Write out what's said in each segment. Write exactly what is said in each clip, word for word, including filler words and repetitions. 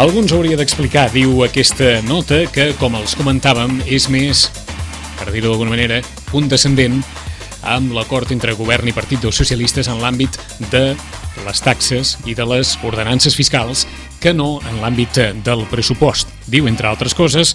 Algú ens hauria d'explicar, diu aquesta nota, que, com els comentàvem, és més, per dir-ho d'alguna manera, condescendent amb l'acord entre govern i Partit dels Socialistes en l'àmbit de les taxes i de les ordenances fiscals que no en l'àmbit del pressupost. Diu, entre altres coses,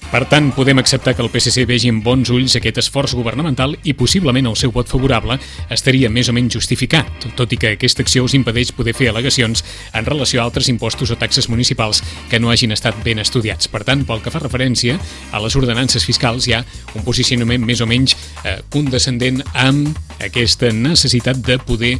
per tant, podem acceptar que el P S C vegi amb bons ulls aquest esforç governamental i possiblement el seu vot favorable estaria més o menys justificat, tot i que aquesta acció us impedeix poder fer al·legacions en relació a altres impostos o taxes municipals que no hagin estat ben estudiats. Per tant, pel que fa referència a les ordenances fiscals, hi ha un posicionament més o menys eh, condescendent amb aquesta necessitat de poder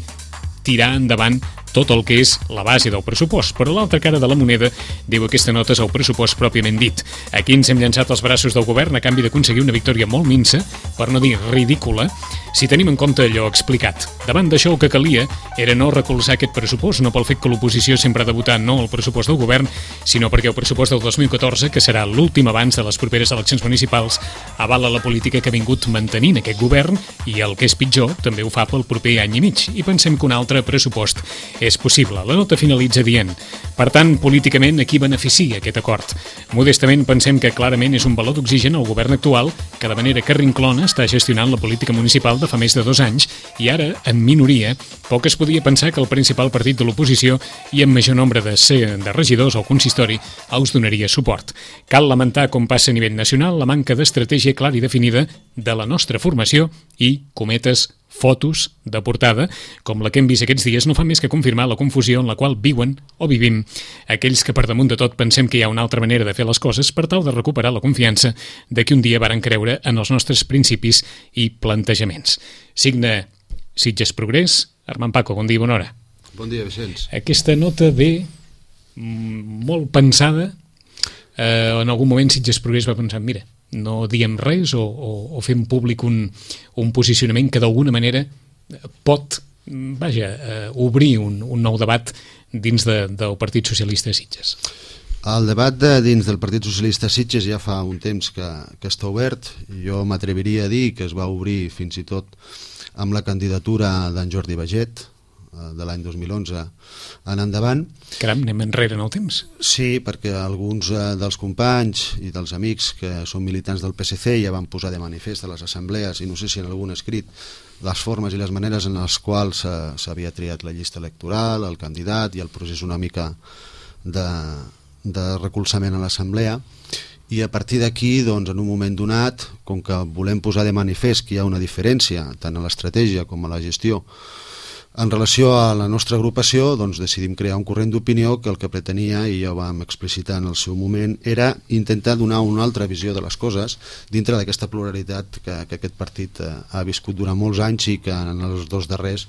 tirar endavant tot el que és la base del pressupost. Però l'altra cara de la moneda, diu aquesta nota, és el pressupost pròpiament dit. Aquí ens hem llançat als braços del govern a canvi d'aconseguir una victòria molt minsa, per no dir ridícula, si tenim en compte allò explicat. Davant d'això el que calia era no recolzar aquest pressupost, no pel fet que l'oposició sempre ha de votar no al pressupost del govern, sinó perquè el pressupost del dos mil catorze, que serà l'últim abans de les properes eleccions municipals, avala la política que ha vingut mantenint aquest govern i, el que és pitjor, també ho fa pel proper any i mig. I pensem que un altre pressupost és possible. La nota finalitza dient: per tant, políticament, a qui beneficia aquest acord? Modestament pensem que clarament és un valor d'oxigen al govern actual, que de manera carrinclona està gestionant la política municipal de fa més de dos anys i ara, en minoria, poc es podia pensar que el principal partit de l'oposició i amb major nombre de, ser, de regidors al consistori us donaria suport. Cal lamentar, com passa a nivell nacional, la manca d'estratègia clara i definida de la nostra formació i, cometes, fotos de portada, com la que hem vist aquests dies, no fa més que confirmar la confusió en la qual viuen o vivim aquells que per damunt de tot pensem que hi ha una altra manera de fer les coses per tal de recuperar la confiança de que un dia varen creure en els nostres principis i plantejaments. Signa Sitges Progrés, Armand Paco, bon dia, bona hora. Bon dia, Vicenç. Aquesta nota ve molt pensada. Eh, en algun moment Sitges Progrés va pensar, mira, no diem res o, o, o fem públic un, un posicionament que d'alguna manera pot, vaja, eh, obrir un, un nou debat dins de, del Partit Socialista de Sitges. El debat de, dins del Partit Socialista de Sitges ja fa un temps que, que està obert. Jo m'atreviria a dir que es va obrir fins i tot amb la candidatura d'en Jordi Baget, de l'any dos mil onze en endavant. Caram, anem enrere en el temps. Sí, perquè alguns dels companys i dels amics que són militants del P S C ja van posar de manifest a les assemblees, i no sé si en algun escrit, les formes i les maneres en les quals s'havia triat la llista electoral, el candidat i el procés una mica de, de recolzament a l'assemblea. I a partir d'aquí, doncs, en un moment donat, com que volem posar de manifest que hi ha una diferència tant a l'estratègia com a la gestió en relació a la nostra agrupació, doncs decidim crear un corrent d'opinió que el que pretenia, i ja ho vam explicitar en el seu moment, era intentar donar una altra visió de les coses dintre d'aquesta pluralitat que, que aquest partit eh, ha viscut durant molts anys i que en els dos darrers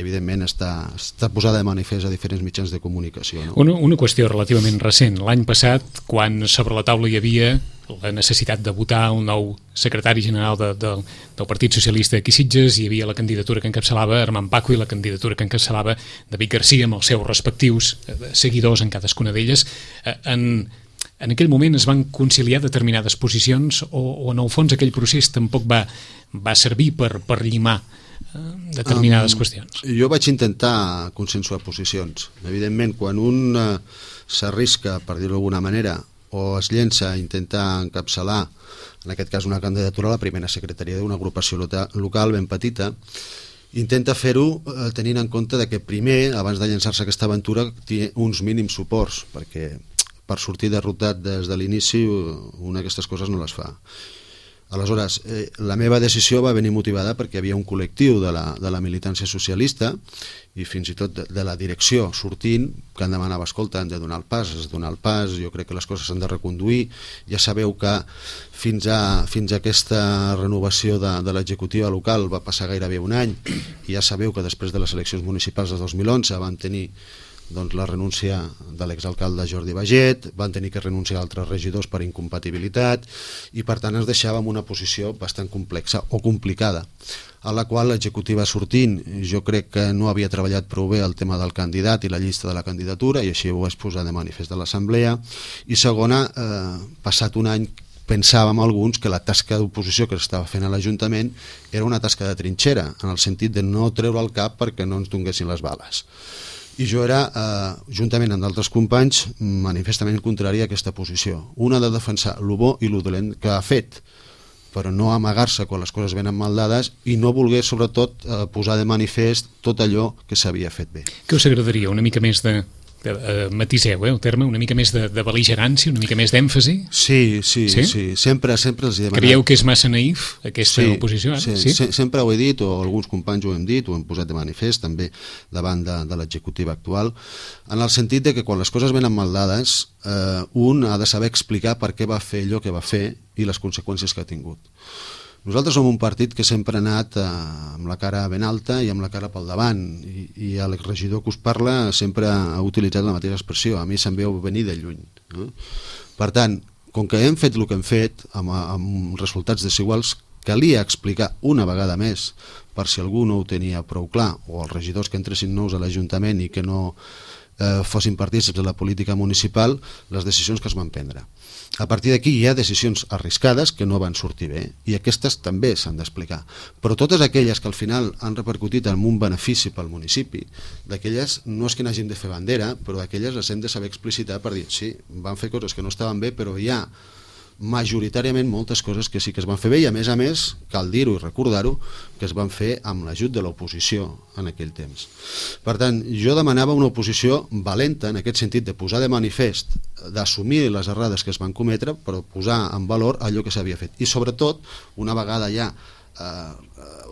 evidentment està, està posada de manifest a diferents mitjans de comunicació, no? Una, una qüestió relativament recent. L'any passat, quan sobre la taula hi havia la necessitat de votar un nou secretari general de, de, del Partit Socialista aquí a Sitges, hi havia la candidatura que encapçalava Armand Paco i la candidatura que encapçalava David Garcia amb els seus respectius seguidors en cadascuna d'elles. En, en aquell moment es van conciliar determinades posicions o, o en el fons aquell procés tampoc va, va servir per, per llimar determinades um, qüestions? Jo vaig intentar consensuar posicions. Evidentment, quan un uh, s'arrisca, per dir-ho d'alguna manera, o es llença a intentar encapçalar, en aquest cas una candidatura a la primera secretaria d'una agrupació local ben petita, intenta fer-ho eh, tenint en compte de que primer, abans de llançar-se aquesta aventura, té uns mínims suports, perquè per sortir derrotat des de l'inici una d'aquestes coses no les fa. Aleshores, eh, la meva decisió va venir motivada perquè hi havia un col·lectiu de la, de la militància socialista i fins i tot de, de la direcció sortint que em demanava, escolta, hem de donar el pas, has de donar el pas, jo crec que les coses s'han de reconduir, ja sabeu que fins a, fins a aquesta renovació de, de l'executiva local va passar gairebé un any i ja sabeu que després de les eleccions municipals de dos mil onze van tenir doncs, la renúncia de l'exalcalde Jordi Baget, van tenir que renunciar a altres regidors per incompatibilitat i per tant ens deixava en una posició bastant complexa o complicada, a la qual l'executiva sortint jo crec que no havia treballat prou bé el tema del candidat i la llista de la candidatura i així ho vaig posar de manifest de l'assemblea. I segona, eh, passat un any pensàvem alguns que la tasca d'oposició que s'estava fent a l'Ajuntament era una tasca de trinxera, en el sentit de no treure el cap perquè no ens donguessin les bales. I jo era, eh, juntament amb d'altres companys, manifestament contrari a aquesta posició. Una de defensar lo bo i lo dolent que ha fet, però no amagar-se quan les coses venen mal dades i no voler, sobretot, eh, posar de manifest tot allò que s'havia fet bé. Què us agradaria? Una mica més de... Uh, matiseu, eh, el terme, una mica més de, de bel·ligerància, una mica més d'èmfasi? Sí, sí, sí, sí. Sempre, sempre els he demanat... Creieu que és massa naïf aquesta sí, oposició? Ara? Sí, sí? Se sempre ho he dit, o alguns companys ho hem dit, ho hem posat de manifest també davant de, de l'executiva actual, en el sentit de que quan les coses venen mal dades, eh, un ha de saber explicar per què va fer allò que va fer i les conseqüències que ha tingut. Nosaltres som un partit que sempre ha anat eh, amb la cara ben alta i amb la cara pel davant, i, i l'exregidor que us parla sempre ha utilitzat la mateixa expressió, a mi se'm veu venir de lluny. Eh? Per tant, com que hem fet el que hem fet, amb, amb resultats desiguals, calia explicar una vegada més, per si algú no ho tenia prou clar, o els regidors que entressin nous a l'Ajuntament i que no eh, fossin partícips de la política municipal, les decisions que es van prendre. A partir d'aquí hi ha decisions arriscades que no van sortir bé i aquestes també s'han d'explicar, però totes aquelles que al final han repercutit en un benefici pel municipi, d'aquelles no és que n'hàgim de fer bandera, però d'aquelles les hem de saber explicitar per dir, sí, van fer coses que no estaven bé, però hi ha majoritàriament moltes coses que sí que es van fer bé i a més a més, cal dir-ho i recordar-ho, que es van fer amb l'ajut de l'oposició en aquell temps. Per tant, jo demanava una oposició valenta en aquest sentit de posar de manifest, d'assumir les errades que es van cometre, però posar en valor allò que s'havia fet. I sobretot, una vegada ja eh,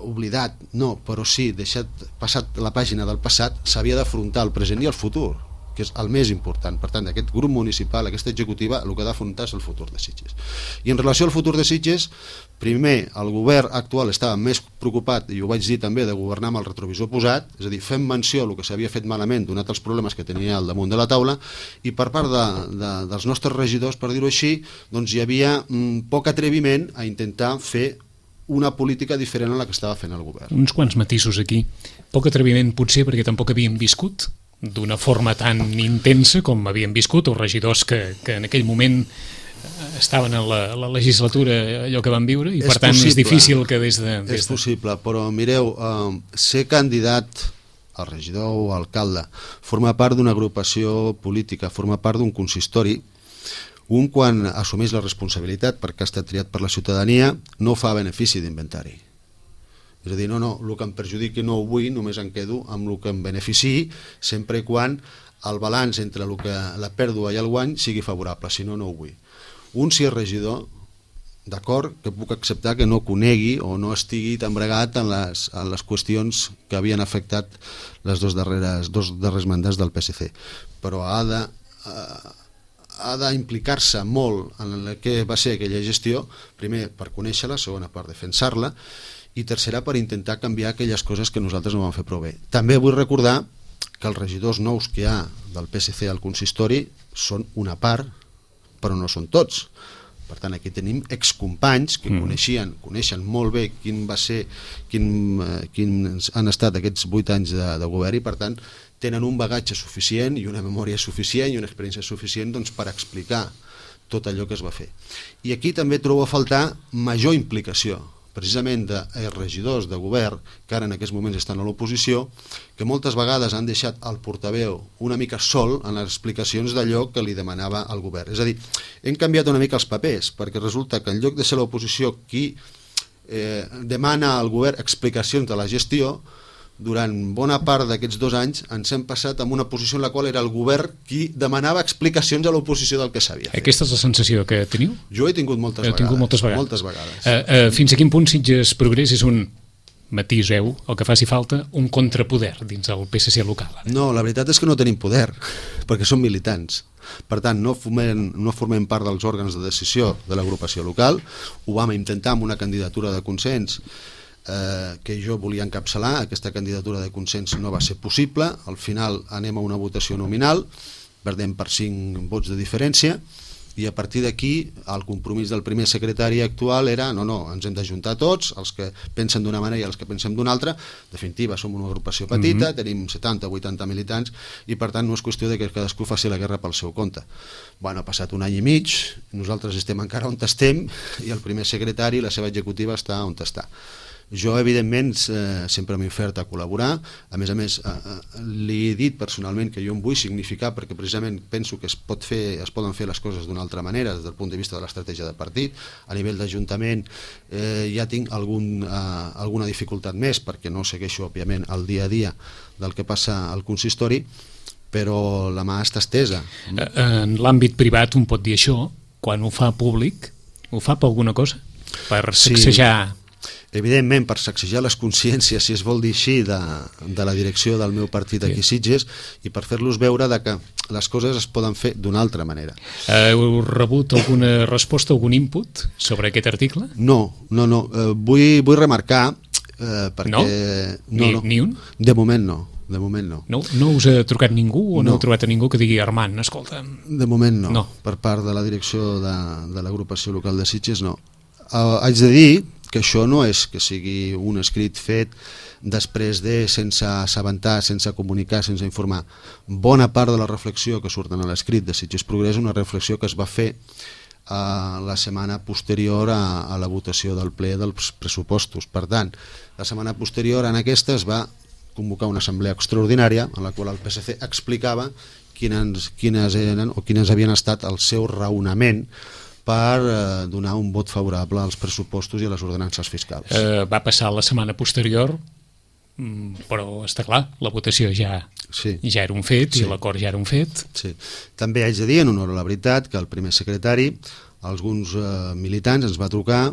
oblidat, no, però sí, deixat passat la pàgina del passat, s'havia d'afrontar el present i el futur, que és el més important. Per tant, aquest grup municipal, aquesta executiva, el que ha d'afrontar és el futur de Sitges. I en relació al futur de Sitges, primer, el govern actual estava més preocupat, i ho vaig dir també, de governar amb el retrovisor posat, és a dir, fem menció del que s'havia fet malament, donat els problemes que tenia al damunt de la taula, i per part de, de, dels nostres regidors, per dir-ho així, doncs hi havia mm, poc atreviment a intentar fer una política diferent a la que estava fent el govern. Uns quants matisos aquí. Poc atreviment potser perquè tampoc havíem viscut d'una forma tan intensa com havien viscut els regidors que, que en aquell moment estaven en la, la legislatura, allò que van viure, i per és tant possible, és difícil que des de... Des és possible, però mireu, eh, ser candidat a regidor o a alcalde, formar part d'una agrupació política, formar part d'un consistori, un quan assumeix la responsabilitat perquè ha estat triat per la ciutadania, no fa benefici d'inventari. És a dir, no, no, el que em perjudiqui no ho vull, només em quedo amb el que em beneficiï, sempre i quan el balanç entre el que, la pèrdua i el guany sigui favorable, si no, no ho vull. Un, si és regidor, d'acord, que puc acceptar que no conegui o no estigui tan bregat en les, en les qüestions que havien afectat les dos darreres, dos darrers mandats del P S C, però ha de... Eh, ha d'implicar-se molt en el que va ser aquella gestió, primer per conèixer-la, segona per defensar-la, i tercera per intentar canviar aquelles coses que nosaltres no vam fer prou bé. També vull recordar que els regidors nous que hi ha del P S C al consistori són una part, però no són tots. Per tant, aquí tenim excompanys que mm. coneixien, coneixen molt bé quin va ser, quin, eh, quins han estat aquests vuit anys de, de govern i per tant tenen un bagatge suficient i una memòria suficient i una experiència suficient doncs, per explicar tot allò que es va fer. I aquí també trobo a faltar major implicació, precisament de regidors de govern que ara en aquests moments estan a l'oposició, que moltes vegades han deixat el portaveu una mica sol en les explicacions d'allò que li demanava al govern. És a dir, hem canviat una mica els papers, perquè resulta que en lloc de ser l'oposició qui eh, demana al govern explicacions de la gestió, durant bona part d'aquests dos anys ens hem passat en una posició en la qual era el govern qui demanava explicacions a l'oposició del que s'havia fet. Aquesta és la sensació que teniu? Jo he tingut moltes Heu vegades. Tingut moltes vegades. Moltes vegades. Uh, uh, fins a quin punt Sitges Progrés és un, matiseu, el que faci falta, un contrapoder dins el P S C local? No, la veritat és que no tenim poder, perquè som militants. Per tant, no formem, no formem part dels òrgans de decisió de l'agrupació local. Ho vam intentar amb una candidatura de consens Eh, que jo volia encapçalar. Aquesta candidatura de consens no va ser possible. Al final anem a una votació nominal, perdem per cinc vots de diferència i a partir d'aquí el compromís del primer secretari actual era no, no, ens hem d'ajuntar tots, els que pensen d'una manera i els que pensem d'una altra. En definitiva, som una agrupació petita, mm-hmm. tenim setanta o vuitanta militants i per tant no és qüestió de que cadascú faci la guerra pel seu compte. Bueno, ha passat un any i mig, nosaltres estem encara on estem i el primer secretari i la seva executiva està on està. Jo, evidentment, eh, sempre m'he ofert a col·laborar. A més a més, eh, li he dit personalment que jo em vull significar, perquè precisament penso que es, pot fer, es poden fer les coses d'una altra manera des del punt de vista de l'estratègia de partit. A nivell d'Ajuntament eh, ja tinc algun, eh, alguna dificultat més, perquè no segueixo, òbviament, el dia a dia del que passa al consistori, però la mà està estesa. En l'àmbit privat un pot dir això, quan ho fa públic, ho fa per alguna cosa? Per sacsejar... Sí, evidentment, per sacsejar les consciències, si es vol dir així, de, de la direcció del meu partit aquí a Sitges, i per fer-los veure de que les coses es poden fer d'una altra manera. Heu rebut alguna resposta, algun input sobre aquest article? No, no, no. Eh, vull, vull remarcar eh, perquè... No? No, ni, no. ni un? De moment no. De moment no. No, no us ha trucat ningú o no, no heu trobat a ningú que digui Armand, escolta... De moment no. no. Per part de la direcció de, de l'agrupació local de Sitges no. Uh, haig de dir que això no és que sigui un escrit fet després de, sense assabentar, sense comunicar, sense informar. Bona part de la reflexió que surt en l'escrit de Sitges Progrés és una reflexió que es va fer uh, la setmana posterior a, a la votació del ple dels pressupostos. Per tant, la setmana posterior en aquesta es va convocar una assemblea extraordinària en la qual el P S C explicava quines, quines eren o quines havien estat el seu raonament per eh, donar un vot favorable als pressupostos i a les ordenances fiscals. Eh, va passar la setmana posterior, però està clar, la votació ja, sí. ja era un fet sí. i l'acord ja era un fet. Sí. També haig de dir, en honor a la veritat, que el primer secretari, alguns eh, militants, ens va trucar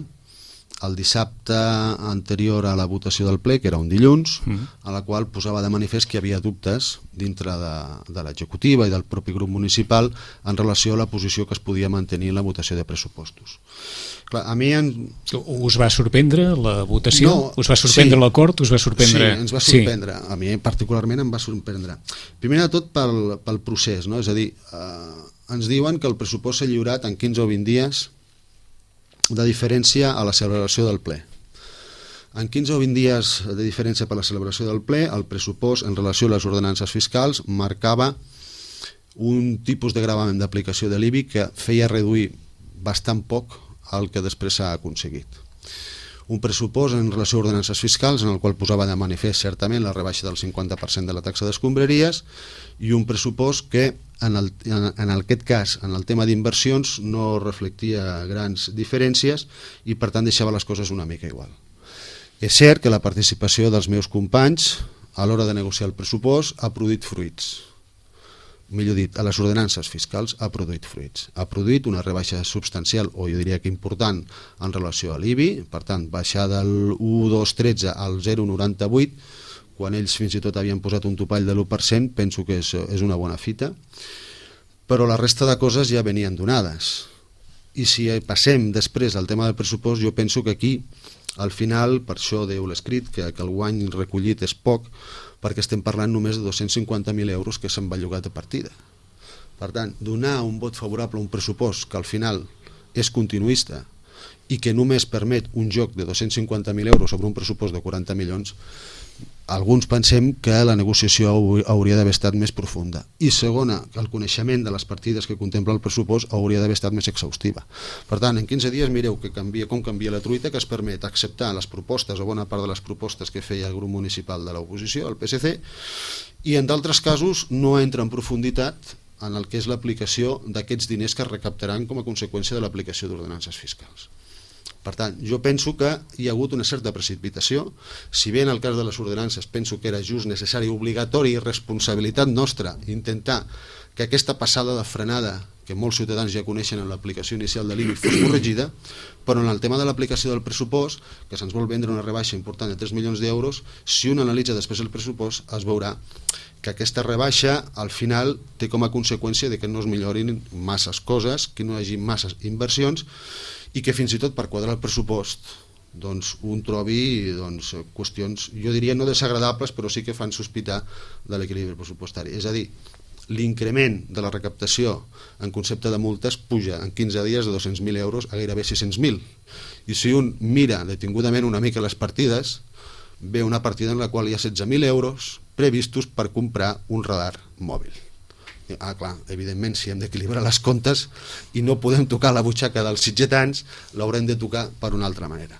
el dissabte anterior a la votació del ple, que era un dilluns, mm. a la qual posava de manifest que hi havia dubtes dintre de, de l'executiva i del propi grup municipal en relació a la posició que es podia mantenir en la votació de pressupostos. Clar, a mi en... Us va sorprendre la votació? No, us va sorprendre sí. l'acord? Us va sorprendre... Sí, ens va sorprendre. Sí. A mi particularment em va sorprendre. Primer de tot pel, pel procés, no? És a dir, eh, ens diuen que el pressupost s'ha lliurat en quinze o vint dies de diferència a la celebració del ple. En quinze o vint dies de diferència per la celebració del ple, el pressupost en relació a les ordenances fiscals marcava un tipus de gravament d'aplicació de l'I B I que feia reduir bastant poc el que després s'ha aconseguit. Un pressupost en relació a ordenances fiscals en el qual posava de manifest certament la rebaixa del cinquanta per cent de la taxa d'escombraries i un pressupost que en, el, en, en aquest cas, en el tema d'inversions, no reflectia grans diferències i per tant deixava les coses una mica igual. És cert que la participació dels meus companys a l'hora de negociar el pressupost ha produït fruits. Millor dit, a les ordenances fiscals ha produït fruits. Ha produït una rebaixa substancial, o jo diria que important, en relació a l'I B I, per tant, baixar del un coma dos tretze al zero coma noranta-vuit, quan ells fins i tot havien posat un topall de l'u per cent, penso que és, és una bona fita, però la resta de coses ja venien donades. I si passem després al tema del pressupost, jo penso que aquí, al final, per això deu l'escrit, que, que el guany recollit és poc, perquè estem parlant només de dos-cents cinquanta mil euros que s'han bellugat a partida. Per tant, donar un vot favorable a un pressupost que al final és continuista i que només permet un joc de dos-cents cinquanta mil euros sobre un pressupost de quaranta milions, alguns pensem que la negociació hauria d'haver estat més profunda. I segona, que el coneixement de les partides que contempla el pressupost hauria d'haver estat més exhaustiva. Per tant, en quinze dies mireu que canvia, com canvia la truita, que es permet acceptar les propostes o bona part de les propostes que feia el grup municipal de l'oposició, el P S C, i en d'altres casos no entra en profunditat en el que és l'aplicació d'aquests diners que es recaptaran com a conseqüència de l'aplicació d'ordenances fiscals. Per tant, jo penso que hi ha hagut una certa precipitació, si bé en el cas de les ordenances penso que era just, necessari, obligatori i responsabilitat nostra intentar que aquesta passada de frenada que molts ciutadans ja coneixen en l'aplicació inicial de l'I B I fos corregida, però en el tema de l'aplicació del pressupost, que se'ns vol vendre una rebaixa important de tres milions d'euros, si un analitza després el pressupost es veurà que aquesta rebaixa al final té com a conseqüència de que no es millorin masses coses, que no hi hagi masses inversions i que fins i tot per quadrar el pressupost doncs, un trobi doncs, qüestions, jo diria no desagradables, però sí que fan sospitar de l'equilibri pressupostari. És a dir, l'increment de la recaptació en concepte de multes puja en quinze dies de dos-cents mil euros a gairebé sis-cents mil. I si un mira detingudament una mica les partides, ve una partida en la qual hi ha setze mil euros previstos per comprar un radar mòbil. Ah, clar, evidentment, si hem d'equilibrar les comptes i no podem tocar la butxaca dels sitgetans, l'haurem de tocar per una altra manera.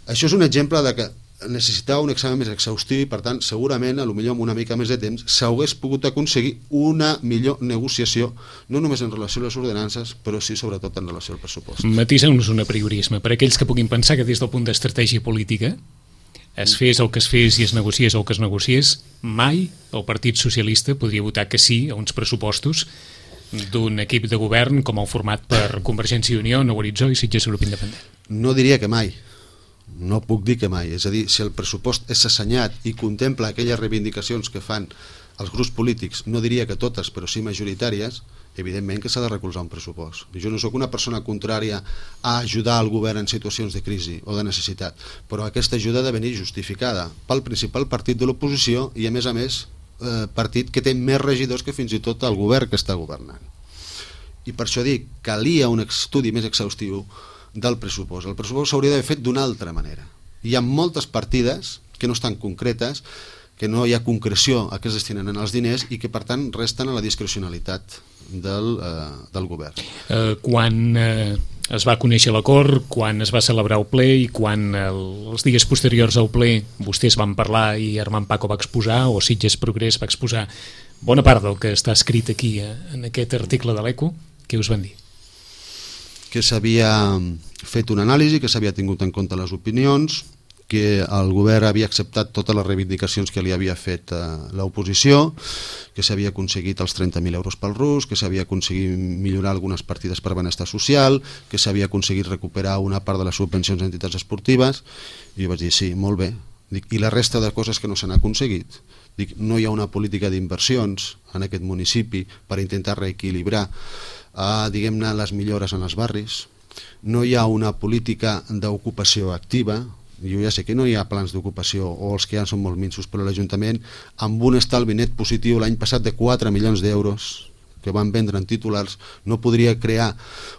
Això és un exemple de que necessitava un examen més exhaustiu i per tant segurament, a lo millor amb una mica més de temps, s'hagués pogut aconseguir una millor negociació, no només en relació a les ordenances, però sí sobretot en relació al pressupost. Matisa'ns un apriorisme, per aquells que puguin pensar que des del punt d'estratègia política es fes el que es fes i es negociés el que es negociés, mai el Partit Socialista podria votar que sí a uns pressupostos d'un equip de govern com el format per Convergència i Unió, Nou Horitzó i Sitges Grup Independent. No diria que mai, no puc dir que mai, és a dir, si el pressupost és assenyat i contempla aquelles reivindicacions que fan els grups polítics, no diria que totes, però sí majoritàries, evidentment que s'ha de recolzar un pressupost. Jo no sóc una persona contrària a ajudar el govern en situacions de crisi o de necessitat, però aquesta ajuda ha de venir justificada pel principal partit de l'oposició i a més a més eh, partit que té més regidors que fins i tot el govern que està governant. I per això dic, calia un estudi més exhaustiu del pressupost. El pressupost s'hauria d'haver fet d'una altra manera. Hi ha moltes partides que no estan concretes, que no hi ha concreció a què es destinen els diners i que per tant resten a la discrecionalitat del, eh, del govern. Eh, quan eh, es va conèixer l'acord, quan es va celebrar el ple i quan el, els dies posteriors al ple vostès van parlar i Armand Paco va exposar o Sitges Progrés va exposar bona part del que està escrit aquí eh, en aquest article de l'Eco, què us van dir? Que s'havia fet una anàlisi, que s'havia tingut en compte les opinions, que el govern havia acceptat totes les reivindicacions que li havia fet eh, l'oposició, que s'havia aconseguit els trenta mil euros pel rus, que s'havia aconseguit millorar algunes partides per benestar social, que s'havia aconseguit recuperar una part de les subvencions a entitats esportives, i jo vaig dir, sí, molt bé. Dic, i la resta de coses que no s'han aconseguit? Dic, no hi ha una política d'inversions en aquest municipi per intentar reequilibrar a, diguem-ne, les millores en els barris, no hi ha una política d'ocupació activa, jo ja sé que no hi ha plans d'ocupació o els que hi ha són molt minsos, però l'Ajuntament amb un estalvi net positiu l'any passat de quatre milions d'euros que van vendre en titulars no podria crear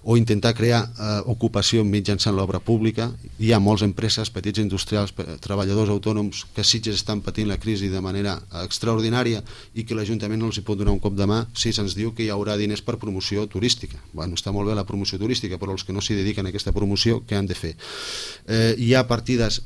o intentar crear eh, ocupació mitjançant l'obra pública. Hi ha moltes empreses, petits industrials, treballadors autònoms que a Sitges estan patint la crisi de manera extraordinària i que l'Ajuntament no els hi pot donar un cop de mà si se'ns diu que hi haurà diners per promoció turística. Bueno, està molt bé la promoció turística, però els que no s'hi dediquen a aquesta promoció, què han de fer? Eh, hi ha partides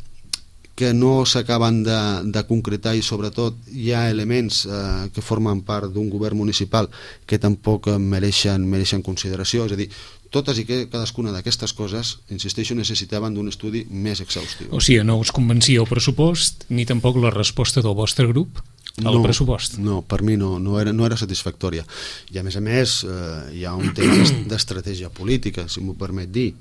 que no s'acaben de, de concretar i sobretot hi ha elements eh, que formen part d'un govern municipal que tampoc mereixen, mereixen consideració, és a dir, totes i que cadascuna d'aquestes coses, insisteixo, necessitaven d'un estudi més exhaustiu. O sigui, no us convencia el pressupost ni tampoc la resposta del vostre grup al no, pressupost? No, per mi no, no, era, no era satisfactòria. I a més a més eh, hi ha un tema d'estratègia política, si m'ho permet dir,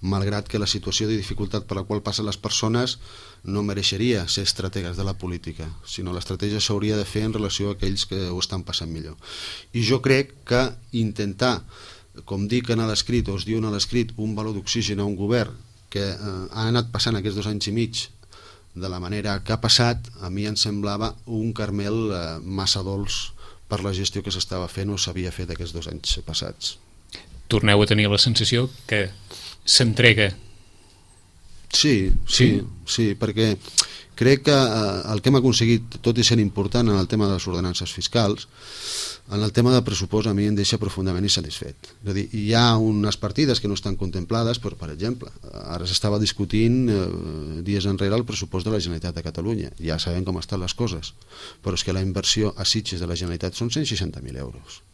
malgrat que la situació de dificultat per la qual passen les persones no mereixeria ser estrategues de la política, sinó l'estratègia s'hauria de fer en relació a aquells que ho estan passant millor. I jo crec que intentar, com dic en l'escrit, o es diu en l'escrit, un valor d'oxigen a un govern que eh, ha anat passant aquests dos anys i mig de la manera que ha passat, a mi em semblava un caramel eh, massa dolç per la gestió que s'estava fent o s'havia fet aquests dos anys passats. Torneu a tenir la sensació que s'entrega. Sí, sí, sí, perquè crec que el que hem aconseguit, tot i sent important en el tema de les ordenances fiscals, en el tema del pressupost a mi em deixa profundament insatisfet. És a dir, hi ha unes partides que no estan contemplades, però, per exemple, ara s'estava discutint eh, dies enrere el pressupost de la Generalitat de Catalunya. Ja sabem com estan les coses, però és que la inversió a Sitges de la Generalitat són cent seixanta mil euros.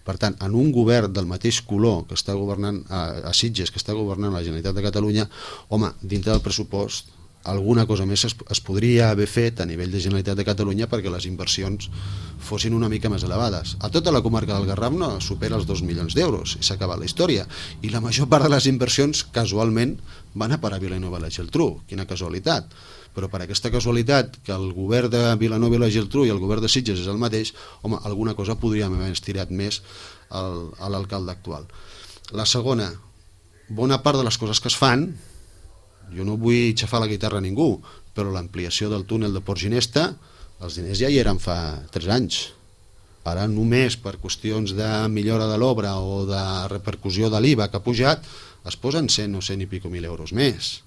Per tant, en un govern del mateix color que està governant a, a Sitges, que està governant la Generalitat de Catalunya, home, dintre del pressupost alguna cosa més es, es podria haver fet a nivell de Generalitat de Catalunya perquè les inversions fossin una mica més elevades. A tota la comarca del Garraf no supera els dos milions d'euros i s'ha acabat la història. I la major part de les inversions, casualment, van a parar a Vilanova i la Geltrú. Quina casualitat. Però per aquesta casualitat, que el govern de Vilanova i la Geltrú i el govern de Sitges és el mateix, home, alguna cosa podríem haver estirat més al, a l'alcalde actual. La segona, bona part de les coses que es fan, jo no vull xafar la guitarra a ningú, però l'ampliació del túnel de Port Ginesta, els diners ja hi eren fa tres anys. Ara només per qüestions de millora de l'obra o de repercussió de l'I V A que ha pujat, es posen cent o cent i pico mil euros més.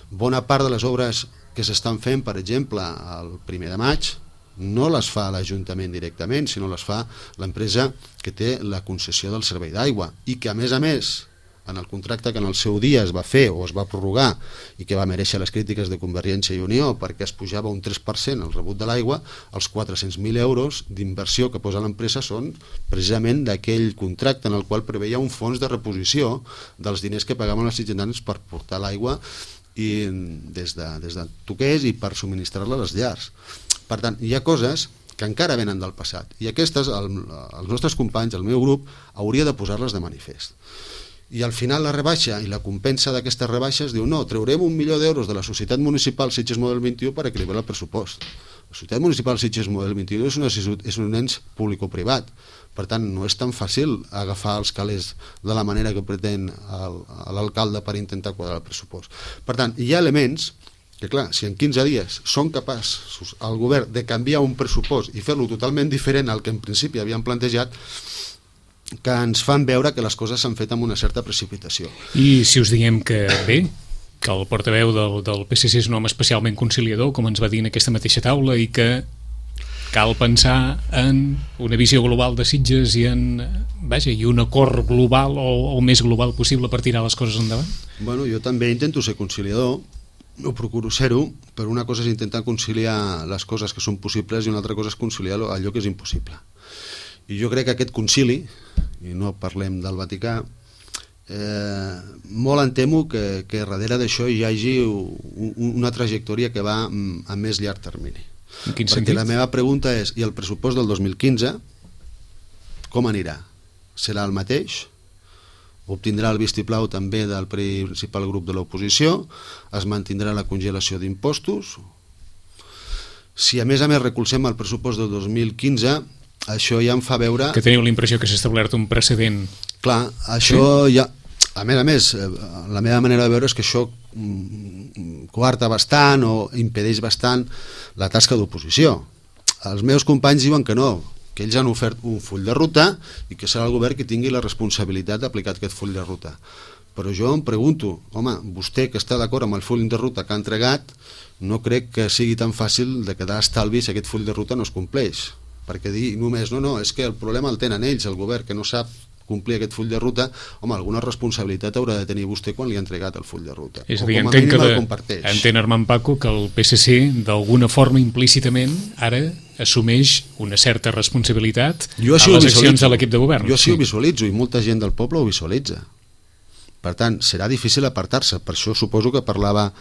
Bona part de les obres que s'estan fent, per exemple, el primer de maig, no les fa l'Ajuntament directament, sinó les fa l'empresa que té la concessió del servei d'aigua i que, a més a més, en el contracte que en el seu dia es va fer o es va prorrogar i que va mereixer les crítiques de Convergència i Unió perquè es pujava un tres per cent el rebut de l'aigua, els quatre-cents mil euros d'inversió que posa l'empresa són precisament d'aquell contracte en el qual preveia un fons de reposició dels diners que pagaven els ciutadans per portar l'aigua i des de, des de Toqués i per subministrar-la a les llars. Per tant, hi ha coses que encara venen del passat i aquestes, el, els nostres companys, el meu grup, hauria de posar-les de manifest. I al final la rebaixa i la compensa d'aquestes rebaixes diu no, treurem un milió d'euros de la Societat Municipal Sitges Model vint-i-u per equilibrar el pressupost. La Societat Municipal Sitges Model vint-i-u és, una, és un ens público-privat, per tant no és tan fàcil agafar els calés de la manera que pretén l'alcalde per intentar quadrar el pressupost. Per tant, hi ha elements que clar, si en quinze dies són capaços el govern de canviar un pressupost i fer-lo totalment diferent al que en principi havien plantejat, que ens fan veure que les coses s'han fet amb una certa precipitació. I si us diem que bé, que el portaveu del, del P S C és un home especialment conciliador, com ens va dir en aquesta mateixa taula, i que cal pensar en una visió global de Sitges i en, vaja, i un acord global o el més global possible per tirar les coses endavant? Bueno, jo també intento ser conciliador, ho procuro ser-ho, però una cosa és intentar conciliar les coses que són possibles i una altra cosa és conciliar allò que és impossible. I jo crec que aquest concili, i no parlem del Vaticà, eh, molt em temo que, que darrere d'això hi hagi un, una trajectòria que va a més llarg termini. En quin Perquè sentit? la meva pregunta és, i el pressupost del dos mil quinze, com anirà? Serà el mateix? Obtindrà el vistiplau també del principal grup de l'oposició? Es mantindrà la congelació d'impostos? Si a més a més recolzem el pressupost del dos mil quinze, això ja em fa veure... Que teniu la impressió que s'ha establert un precedent. Clar, això sí? Ja... A més a més, la meva manera de veure és que això coarta bastant o impedeix bastant la tasca d'oposició. Els meus companys diuen que no, que ells han ofert un full de ruta i que serà el govern que tingui la responsabilitat d'aplicar aquest full de ruta. Però jo em pregunto, home, vostè que està d'acord amb el full de ruta que ha entregat, no crec que sigui tan fàcil de quedar estalvi si aquest full de ruta no es compleix. Perquè dir només, no, no, és que el problema el tenen ells, el govern, que no sap complir aquest full de ruta, home, alguna responsabilitat haurà de tenir vostè quan li ha entregat el full de ruta. És a dir, entenc que de, entén Armand Paco que el P S C d'alguna forma implícitament ara assumeix una certa responsabilitat a les accions de l'equip de govern. Jo així ho visualitzo i molta gent del poble ho visualitza. Per tant, serà difícil apartar-se. Per això suposo que parlava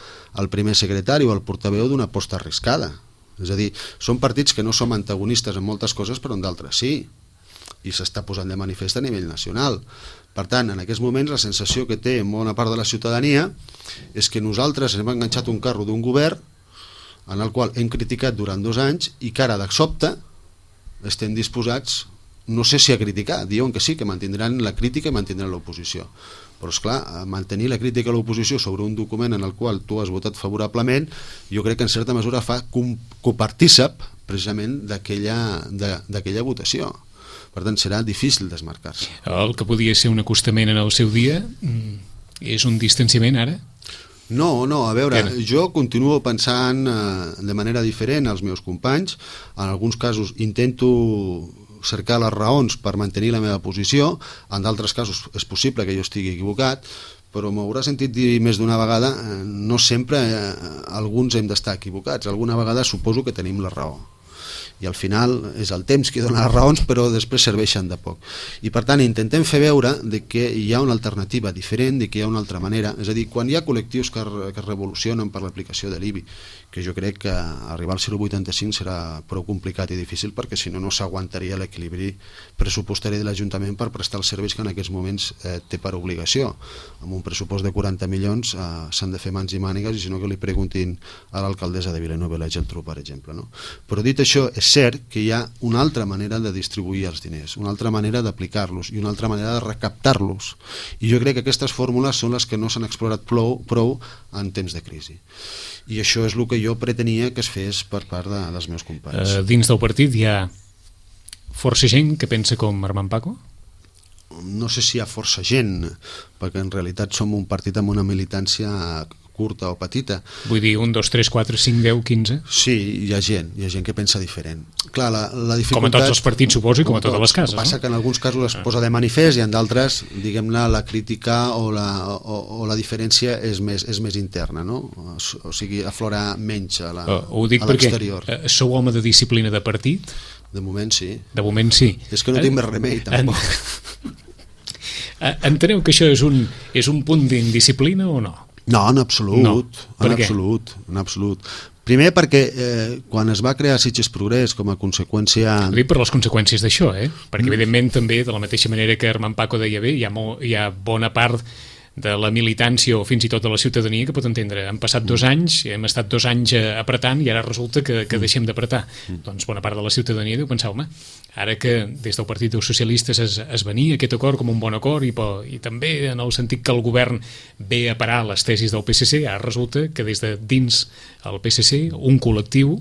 el primer secretari o el portaveu d'una aposta arriscada. És a dir, són partits que no som antagonistes en moltes coses, però en d'altres sí. I s'està posant de manifest a nivell nacional. Per tant, en aquests moments la sensació que té bona part de la ciutadania és que nosaltres hem enganxat un carro d'un govern en el qual hem criticat durant dos anys i que ara de sobte estem disposats, no sé si a criticar, diuen que sí, que mantindran la crítica i mantindran l'oposició. Però esclar, mantenir la crítica a l'oposició sobre un document en el qual tu has votat favorablement, jo crec que en certa mesura fa copartícip precisament d'aquella votació. Per tant, serà difícil desmarcar-se. El que podia ser un acostament en el seu dia és un distanciament ara? No, no, a veure, jo continuo pensant de manera diferent als meus companys. En alguns casos intento cercar les raons per mantenir la meva posició, en d'altres casos és possible que jo estigui equivocat, però m'haurà sentit dir més d'una vegada, no sempre alguns hem d'estar equivocats, alguna vegada suposo que tenim la raó. I al final és el temps que dona les raons, però després serveixen de poc. I per tant intentem fer veure de que hi ha una alternativa diferent, de que hi ha una altra manera. És a dir, quan hi ha col·lectius que, que es revolucionen per l'aplicació de l'I B I, que jo crec que arribar al zero coma vuitanta cinc serà prou complicat i difícil, perquè si no, no s'aguantaria l'equilibri pressupostari de l'Ajuntament per prestar els serveis que en aquests moments eh, té per obligació. Amb un pressupost de quaranta milions eh, s'han de fer mans i mànigues, i si no que li preguntin a l'alcaldessa de Vilanova i la Geltrú, per exemple. No? Però dit això, és cert que hi ha una altra manera de distribuir els diners, una altra manera d'aplicar-los i una altra manera de recaptar-los. I jo crec que aquestes fórmules són les que no s'han explorat prou, prou en temps de crisi. I això és el que jo pretenia que es fes per part de, dels meus companys. Uh, dins del partit hi ha força gent que pensa com Armand Paco? No sé si hi ha força gent, perquè en realitat som un partit amb una militància curta o petita. Vull dir, un, dos, tres, quatre, cinc, deu, quinze? Sí, hi ha gent, hi ha gent que pensa diferent. Clar, la, la dificultat... Com a tots els partits, suposo, i com a totes les cases, no? Passa no? que en alguns casos es posa de manifest i en d'altres, diguem-ne, la crítica o la, o, o la diferència és més, és més interna, no? O sigui, aflora menys a l'exterior. Ho dic perquè sou home de disciplina de partit? De moment sí. De moment sí. És que no tinc més remei, tampoc. Enteneu que això és un, és un punt d'indisciplina o no? No, en absolut, no. en absolut, en absolut. Primer perquè eh, quan es va crear Sitges Progrés com a conseqüència... Ho dic per les conseqüències d'això, eh? Perquè mm. evidentment també, de la mateixa manera que Armand Paco deia bé, hi ha, molt, hi ha bona part de la militància o fins i tot de la ciutadania que pot entendre. Han passat dos anys, hem estat dos anys apretant i ara resulta que, que deixem d'apretar. Mm. Doncs bona part de la ciutadania deu pensar, home, ara que des del Partit dels Socialistes es, es venia aquest acord com un bon acord i, i també en el sentit que el govern ve a parar les tesis del P S C, ara resulta que des de dins el P S C un col·lectiu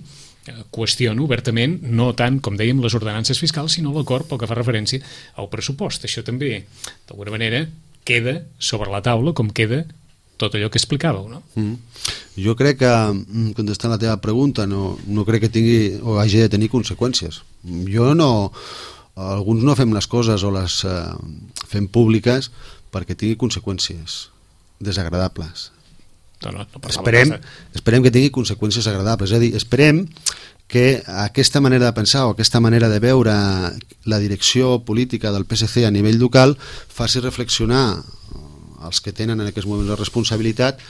qüestiona obertament, no tant, com dèiem, les ordenances fiscals, sinó l'acord pel que fa referència al pressupost. Això també, d'alguna manera, queda sobre la taula com queda tot allò que explicàveu, no? Mm. Jo crec que, contestant la teva pregunta, no, no crec que tingui o hagi de tenir conseqüències. Jo no... Alguns no fem les coses o les eh, fem públiques perquè tingui conseqüències desagradables. No, no, no esperem, esperem que tingui conseqüències agradables. És a dir, esperem que aquesta manera de pensar o aquesta manera de veure la direcció política del P S C a nivell local faci reflexionar els que tenen en aquests moments la responsabilitat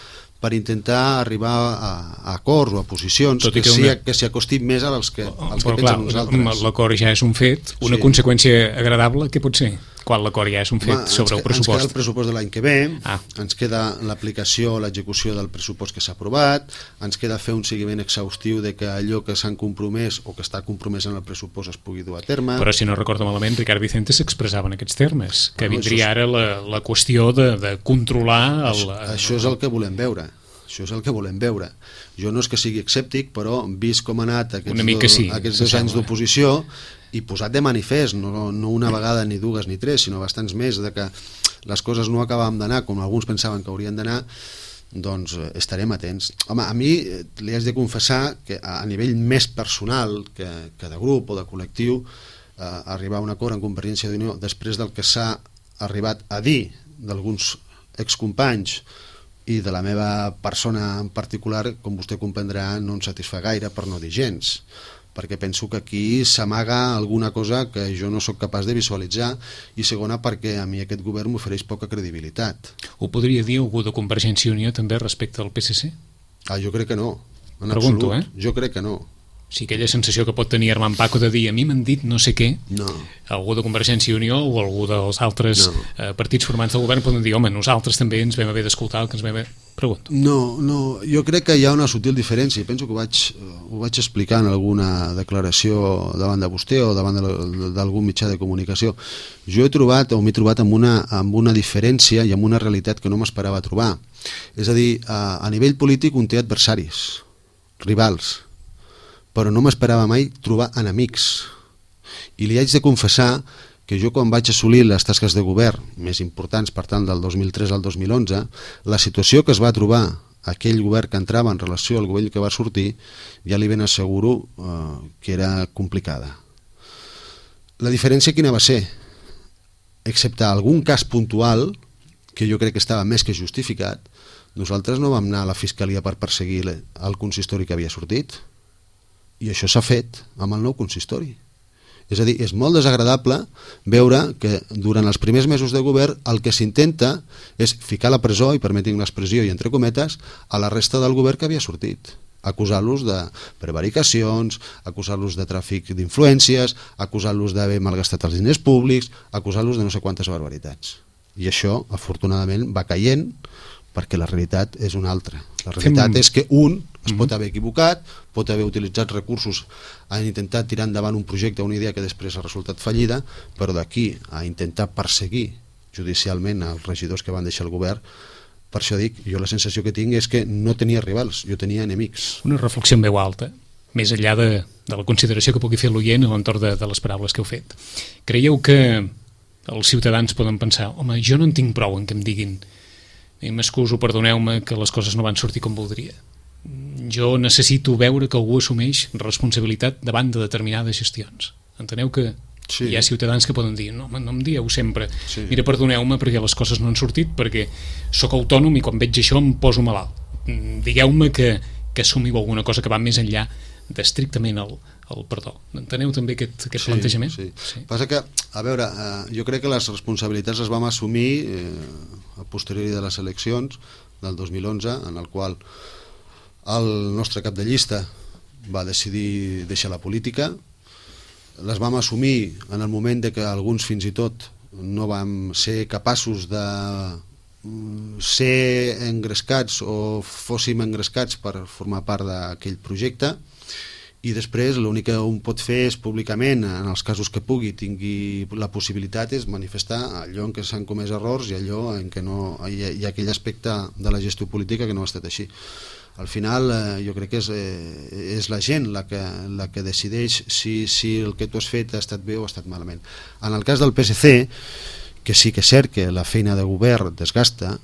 per intentar arribar a, a acords o a posicions que, que, una... que s'hi acostin més als que, als que pensen nosaltres. L'acord ja és un fet, una sí. conseqüència agradable, què pot ser? Quan l'acord ja és un fet Home, sobre el pressupost? Ens queda el pressupost de l'any que ve, ah. ens queda l'aplicació, l'execució del pressupost que s'ha aprovat, ens queda fer un seguiment exhaustiu de que allò que s'han compromès o que està compromès en el pressupost es pugui dur a terme. Però si no recordo malament, Ricard Vicente s'expressava en aquests termes, que no, vindria ara la, la qüestió de, de controlar... El, això, això és el que volem veure. Això és el que volem veure. Jo no és que sigui escèptic, però vist com ha anat aquests, do, sí, aquests dos anys d'oposició i posat de manifest, no, no una vegada ni dues ni tres, sinó bastants més, de que les coses no acabàvem d'anar com alguns pensaven que haurien d'anar, doncs estarem atents. Home, a mi li haig de confessar que a nivell més personal que, que de grup o de col·lectiu, eh, arribar a un acord en Convergència d'Unió després del que s'ha arribat a dir d'alguns excompanys i de la meva persona en particular, com vostè comprendrà, no em satisfà gaire, per no dir gens, perquè penso que aquí s'amaga alguna cosa que jo no sóc capaç de visualitzar, i segona perquè a mi aquest govern m'ofereix poca credibilitat. Ho podria dir algú de Convergència i Unió també respecte al P S C? Ah, jo crec que no, en Pregunto, absolut. Eh? Jo crec que no. Sí, aquella sensació que pot tenir Armand Paco de dir a mi m'han dit no sé què, no. Algú de Convergència i Unió o algú dels altres no. eh, partits formants del govern poden dir, home, nosaltres també ens vam haver d'escoltar el que ens vam haver... Pregunto. No, no, jo crec que hi ha una sutil diferència, i penso que ho vaig, ho vaig explicar en alguna declaració davant de vostè o davant d'algun mitjà de comunicació. Jo he trobat o m'he trobat amb una, amb una diferència i amb una realitat que no m'esperava trobar. És a dir, a, a nivell polític un té adversaris, rivals, però no m'esperava mai trobar enemics. I li haig de confessar que jo quan vaig assolir les tasques de govern més importants, per tant, del dos mil tres al dos mil onze, la situació que es va trobar aquell govern que entrava en relació al govern que va sortir, ja li ben asseguro eh, que era complicada. La diferència quina va ser? Excepte algun cas puntual, que jo crec que estava més que justificat, nosaltres no vam anar a la Fiscalia per perseguir el consistori que havia sortit, i això s'ha fet amb el nou consistori. És a dir, és molt desagradable veure que durant els primers mesos de govern el que s'intenta és ficar a la presó, i permetin l'expressió i entre cometes, a la resta del govern que havia sortit, acusar-los de prevaricacions, acusar-los de tràfic d'influències, acusar-los d'haver malgastat els diners públics, acusar-los de no sé quantes barbaritats. I això, afortunadament, va caient, perquè la realitat és una altra. La realitat Fem... és que un es pot haver equivocat, pot haver utilitzat recursos a intentar tirar endavant un projecte, una idea que després ha resultat fallida, però d'aquí a intentar perseguir judicialment els regidors que van deixar el govern, per això dic, jo la sensació que tinc és que no tenia rivals, jo tenia enemics. Una reflexió en veu alta, més enllà de, de la consideració que pugui fer l'oient a l'entorn de, de les paraules que heu fet. Creieu que els ciutadans poden pensar, home, jo no en tinc prou en que em diguin i m'excuso, perdoneu-me, que les coses no van sortir com voldria. Jo necessito veure que algú assumeix responsabilitat davant de determinades gestions. Enteneu que sí. Hi ha ciutadans que poden dir no, no em dieu sempre, sí. Mira, perdoneu-me perquè les coses no han sortit, perquè sóc autònom i quan veig això em poso malalt. Digueu-me que, que assumiu alguna cosa que va més enllà d'estrictament el, el perdó. Enteneu també aquest, aquest sí, plantejament? Sí. Sí. Passa que, a veure, eh, jo crec que les responsabilitats les vam assumir eh, a posteriori de les eleccions del dos mil onze, en el qual el nostre cap de llista va decidir deixar la política. Les vam assumir en el moment de que alguns fins i tot no vam ser capaços de ser engrescats o fóssim engrescats per formar part d'aquell projecte, i després l'únic que un pot fer és públicament, en els casos que pugui, tingui la possibilitat, és manifestar allò en què s'han comès errors i allò en què no hi ha, hi ha aquell aspecte de la gestió política que no ha estat així. Al final eh, jo crec que és, eh, és la gent la que, la que decideix si, si el que tu has fet ha estat bé o ha estat malament. En el cas del P S C, que sí que és cert que la feina de govern desgasta,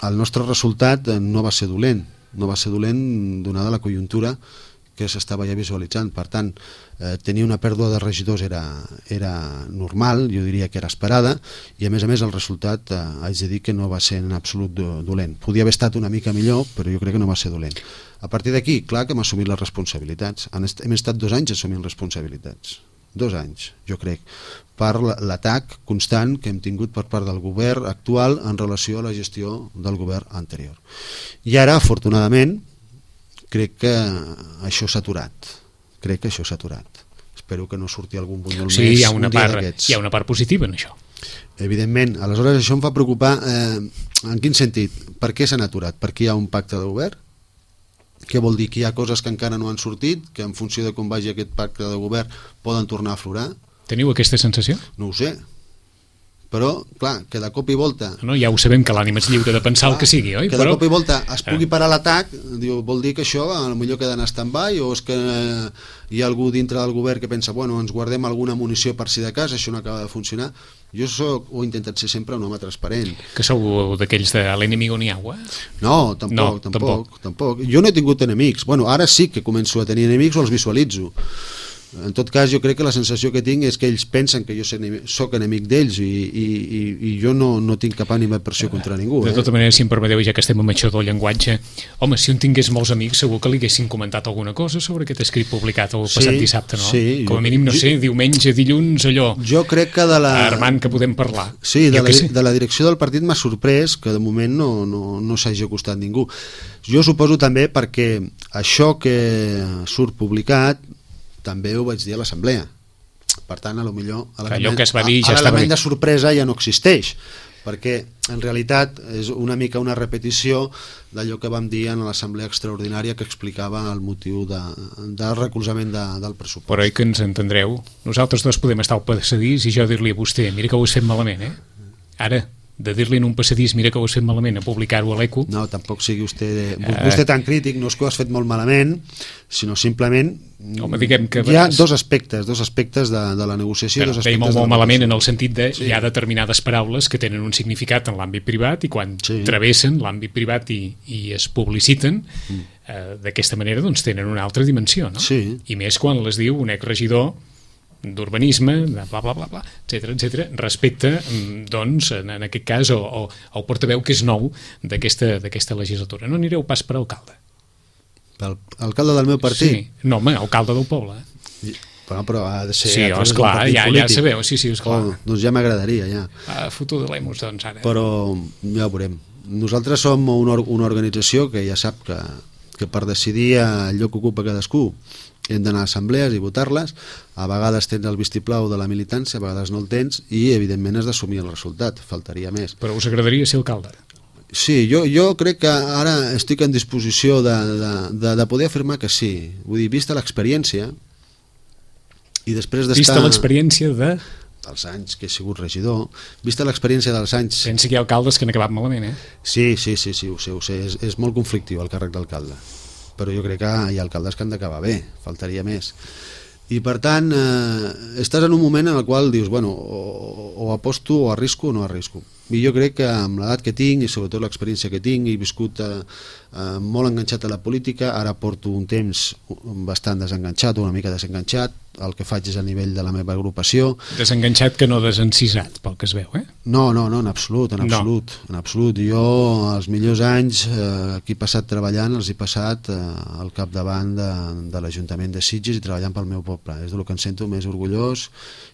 el nostre resultat no va ser dolent, no va ser dolent donada la conjuntura que s'estava ja visualitzant. Per tant, eh, tenir una pèrdua de regidors era, era normal, jo diria que era esperada, i a més a més el resultat eh, haig de dir que no va ser en absolut dolent. Podia haver estat una mica millor, però jo crec que no va ser dolent. A partir d'aquí, clar que hem assumit les responsabilitats. Hem estat dos anys assumint responsabilitats. Dos anys, jo crec, per l'atac constant que hem tingut per part del govern actual en relació a la gestió del govern anterior. I ara, afortunadament, crec que això s'ha aturat. Crec que això s'ha aturat. Espero que no surti algun bunyol sí, més hi ha una un dia part, d'aquests. Hi ha una part positiva en això. Evidentment. Aleshores, això em fa preocupar. Eh, en quin sentit? Per què s'han aturat? Perquè hi ha un pacte de govern? Què vol dir? Que hi ha coses que encara no han sortit, que en funció de com vagi aquest pacte de govern poden tornar a aflorar? Teniu aquesta sensació? No ho sé. Però, clar, que de cop i volta... No, ja ho sabem que l'ànima és lliure de pensar clar, el que sigui, oi? Que de cop i volta es pugui parar l'atac, diu, vol dir que això potser queda en stand-by, o és que hi ha algú dintre del govern que pensa, bueno, ens guardem alguna munició per si de cas, això no acaba de funcionar. Jo soc, ho he intentat ser sempre un home transparent. Que sou d'aquells de l'enemigo ni agua? No, tampoc, no, tampoc, tampoc, tampoc. Jo no he tingut enemics. Bueno, ara sí que començo a tenir enemics o els visualitzo. En tot cas, jo crec que la sensació que tinc és que ells pensen que jo soc enemic d'ells i, i, i jo no, no tinc cap ànima pressió contra ningú. De tota eh? manera, si em permeteu, ja que estem amb això del llenguatge, home, si un tingués molts amics, segur que li haguessin comentat alguna cosa sobre aquest escrit publicat el passat sí, dissabte, no? Sí, com a mínim, no jo, sé, diumenge, dilluns, allò... Jo crec que de la... Armand, que podem parlar. Sí, de, la, de la direcció del partit m'ha sorprès que de moment no, no, no s'hagi acostat ningú. Jo suposo també perquè això que surt publicat també ho vaig dir a l'assemblea. Per tant, a lo millor allò que es va dir ja l'element de sorpresa ja no existeix, perquè en realitat és una mica una repetició d'allò que vam dir en l'assemblea extraordinària que explicava el motiu de, del recolzament de, del pressupost. Però oi que ens entendreu? Nosaltres dos podem estar al passadís i jo dir-li a vostè, mira que ho has fet malament, eh? Ara, de dir-li en un passadís, mira que ho has fet malament, a publicar-ho a l'Eco. No, tampoc sigui vostè, vostè tan crític, no és que ho has fet molt malament, sinó simplement home, diguem que hi ha dos aspectes, dos aspectes de, de la negociació. Però dos aspectes molt, molt malament en el sentit de sí. Hi ha determinades paraules que tenen un significat en l'àmbit privat i quan sí. travessen l'àmbit privat i, i es publiciten mm. eh, d'aquesta manera doncs tenen una altra dimensió, no? Sí. I més quan les diu un exregidor d'urbanisme, bla, bla, bla, bla, etcètera, etcètera, respecte, doncs, en, en aquest cas, o, o, el portaveu que és nou d'aquesta d'aquesta legislatura. No anireu pas per alcalde. Per alcalde del meu partit? Sí, no, home, alcalde del poble. Però, però ha de ser... Sí, esclar, ja, ja sabeu, sí, sí, esclar. Oh, doncs ja m'agradaria, ja. Ah, foto de l'Emus, doncs, ara. Però ja ho veurem. Nosaltres som una, una organització que ja sap que, que per decidir el lloc que ocupa cadascú hem d'anar a assemblees i votar-les, a vegades tens el vistiplau de la militància, a vegades no el tens, i evidentment has d'assumir el resultat, faltaria més. Però us agradaria ser alcalde? Sí, jo, jo crec que ara estic en disposició de, de, de, de poder afirmar que sí. Vull dir, vista l'experiència, i després d'estar... Vista l'experiència de... dels anys que he sigut regidor, vista l'experiència dels anys... Pensa que hi ha alcaldes que han acabat malament, eh? Sí, sí, sí, sí ho sé, ho sé. És, és molt conflictiu el càrrec d'alcalde. Però jo crec que hi ha alcaldes que han d'acabar bé, faltaria més. I per tant eh, estàs en un moment en el qual dius, bueno, o, o aposto o arrisco o no arrisco. I jo crec que amb l'edat que tinc i sobretot l'experiència que tinc, he viscut eh, eh, molt enganxat a la política, ara porto un temps bastant desenganxat, una mica desenganxat, el que faig és a nivell de la meva agrupació. Desenganxat que no desencisat, pel que es veu, eh? No, no, no, en absolut, en absolut, no. en absolut. Jo els millors anys eh, que he passat treballant els he passat eh, al capdavant de, de l'Ajuntament de Sitges i treballant pel meu poble. És del que em sento més orgullós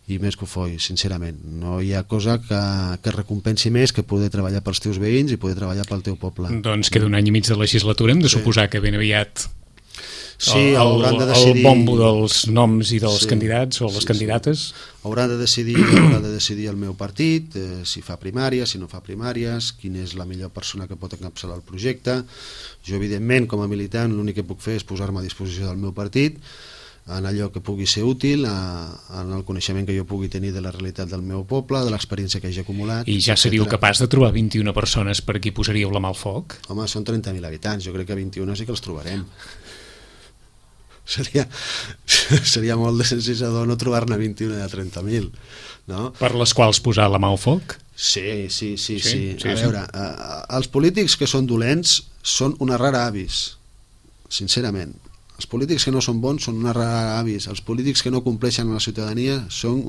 i més cofoi, sincerament. No hi ha cosa que, que recompensi més que poder treballar pels teus veïns i poder treballar pel teu poble. Doncs queda un any i mig de legislatura, hem de Sí. suposar que ben aviat Sí, el, hauran de el, decidir... el bombo dels noms i dels Sí, candidats o les sí, candidates. Sí. Haurà de decidir, haurà de decidir el meu partit, eh, si fa primàries, si no fa primàries, quina és la millor persona que pot encapçalar el projecte. Jo, evidentment, com a militant, l'únic que puc fer és posar-me a disposició del meu partit, en allò que pugui ser útil, a, en el coneixement que jo pugui tenir de la realitat del meu poble, de l'experiència que hagi acumulat. I ja seríeu etcètera. capaç de trobar vint-i-una persones per qui posaríeu la mà al foc? Home, són trenta mil habitants, jo crec que vint-i-una sí que els trobarem. Seria, seria molt desensisador no trobar-ne vint-i-una de trenta mil, no? Per les quals posar la mà al foc? Sí, sí, sí, sí. Sí, sí. sí, A sí. veure, eh, els polítics que són dolents són una rara avis, sincerament. Els polítics que no són bons són una rara avis. Els polítics que no compleixen amb la ciutadania són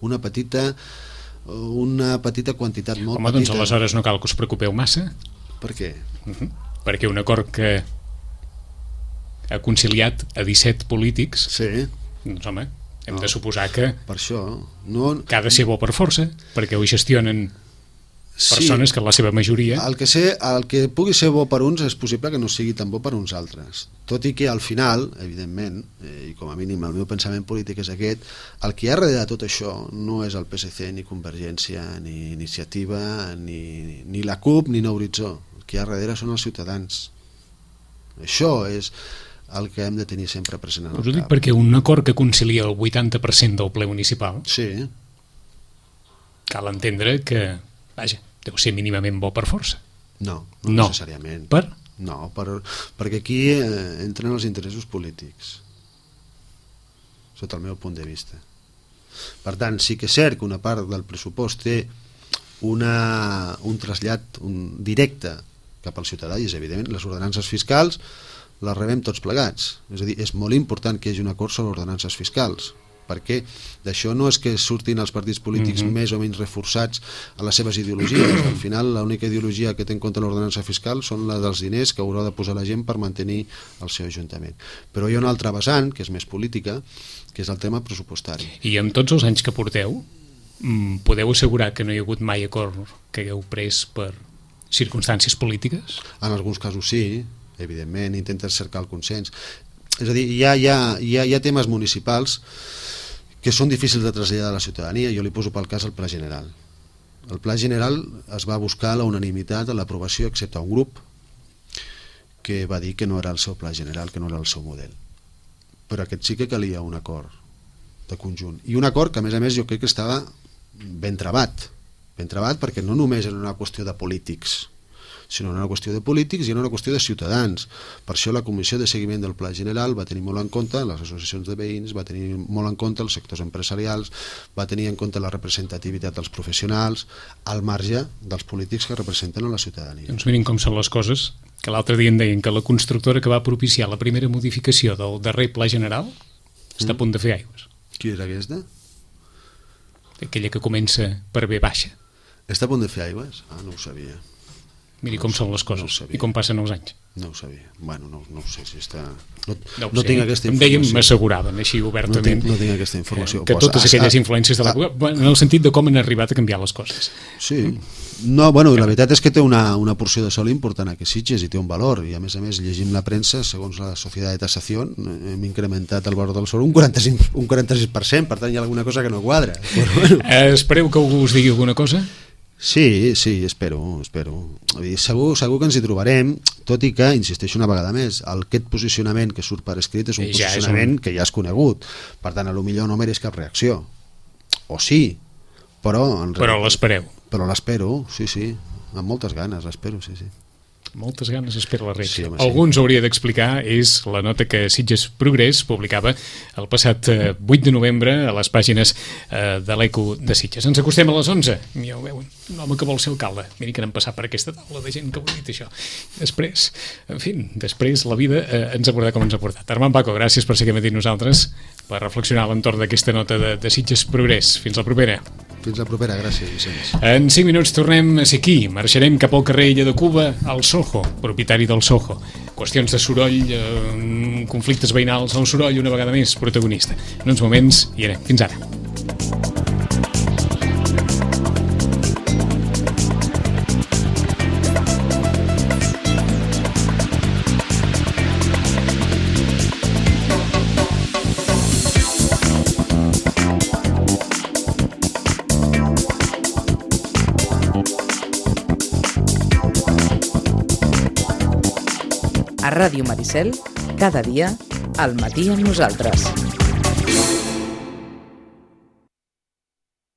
una petita una petita quantitat molt Home, doncs petita. aleshores no cal que us preocupeu massa. Per què? Uh -huh. Perquè un acord que ha conciliat a disset polítics, Sí, doncs home, hem No. de suposar que, per això. No, que ha de ser bo per força, perquè ho gestionen sí, persones que en la seva majoria... el que, sé, el que pugui ser bo per uns és possible que no sigui tan bo per uns altres. Tot i que al final, evidentment, eh, i com a mínim el meu pensament polític és aquest, el que hi ha darrere de tot això no és el P S C, ni Convergència, ni Iniciativa, ni, ni la CUP, ni Nou Horitzó. El que hi ha darrere són els ciutadans. Això és el que hem de tenir sempre present en el Us ho dic cap. perquè un acord que concilia el vuitanta per cent del ple municipal Sí, cal entendre que, vaja, deu ser mínimament bo per força. no, no, No. necessàriament. Per? No, per, perquè aquí eh, entren els interessos polítics, sota el meu punt de vista. Per tant, sí que és cert que una part del pressupost té una, un trasllat un, directe cap al ciutadà, i és evident, les ordenances fiscals les rebem tots plegats. És a dir, és molt important que hi hagi un acord sobre ordenances fiscals, perquè d'això no és que surtin els partits polítics Mhm. més o menys reforçats a les seves ideologies. Al final, l'única ideologia que té en compte l'ordenança fiscal són la dels diners que haurà de posar la gent per mantenir el seu ajuntament. Però hi ha una altra vessant, que és més política, que és el tema pressupostari. I amb tots els anys que porteu, mm, podeu assegurar que no hi ha hagut mai acord que hagueu pres per circumstàncies polítiques? En alguns casos sí, evidentment, intenten cercar el consens. És a dir, hi ha, hi ha, hi ha, hi ha temes municipals que són difícils de traslladar a la ciutadania. Jo li poso pel cas el Pla General. El Pla General es va buscar la unanimitat a l'aprovació, excepte un grup que va dir que no era el seu Pla General, que no era el seu model. Però aquest sí que calia un acord de conjunt. I un acord que, a més a més, jo crec que estava ben travat. Ben travat perquè no només era una qüestió de polítics, sinó una qüestió de polítics i una qüestió de ciutadans. Per això la Comissió de Seguiment del Pla General va tenir molt en compte les associacions de veïns, va tenir molt en compte els sectors empresarials, va tenir en compte la representativitat dels professionals, al marge dels polítics que representen a la ciutadania. Doncs mirin com són les coses, que l'altre dia em deien que la constructora que va propiciar la primera modificació del darrer Pla General està a punt de fer aigües. Qui era aquesta? Aquella que comença per B baixa. Està a punt de fer aigües? Ah, no ho sabia. Miri No com ho són sabia, les coses no ho sabia. i com passen els anys. No ho sabia. Bueno, no, no ho sé si està... No, No, no tinc aquesta em deien, informació. m'asseguraven així No obertament tinc, no tinc aquesta informació. que Pues, totes ah, aquelles ah, influències de ah, l'època, en el sentit de com han arribat a canviar les coses. Sí. No, bueno, la veritat és que té una, una porció de sol important a que Sitges i té un valor, i a més a més llegim la premsa, segons la Societat de Tasació hem incrementat el valor del sol un quaranta-cinc, un quaranta-sis per cent, per tant hi ha alguna cosa que no quadra. Però, bueno. Eh, espereu que algú us digui alguna cosa? Sí, sí, espero, espero. Vull dir, segur, segur que ens hi trobarem, tot i que, insisteixo una vegada més, el, aquest posicionament que surt per escrit és un Ja és posicionament un- que ja és conegut. Per tant, a lo millor no mereix cap reacció. O sí, però... En Però l'espereu. Però l'espero, sí, sí, amb moltes ganes, l'espero, sí, sí. moltes ganes espera la Reig. Sí, home, Alguns sí. hauria d'explicar és la nota que Sitges Progrés publicava el passat vuit de novembre a les pàgines eh, de l'Eco de Sitges. Ens acostem a les onze. Ja ho veuen, un home que vol ser alcalde. Miri que n'hem passat per aquesta taula de gent que ho ha dit això. Després, en fi, després la vida eh, ens ha portat com ens ha portat. Armand Paco, gràcies per ser aquí amb nosaltres, per reflexionar a l'entorn d'aquesta nota de, de Sitges Progrés. Fins la propera. Fins la propera, gràcies, Vicenç. En cinc minuts tornem a ser aquí. Marxarem cap al carrer Illa de Cuba, al Soho, propietari del Soho. Qüestions de soroll, eh, conflictes veïnals, el soroll una vegada més protagonista. En uns moments hi anem. Fins ara. A Ràdio Maricel, cada dia, al matí amb nosaltres.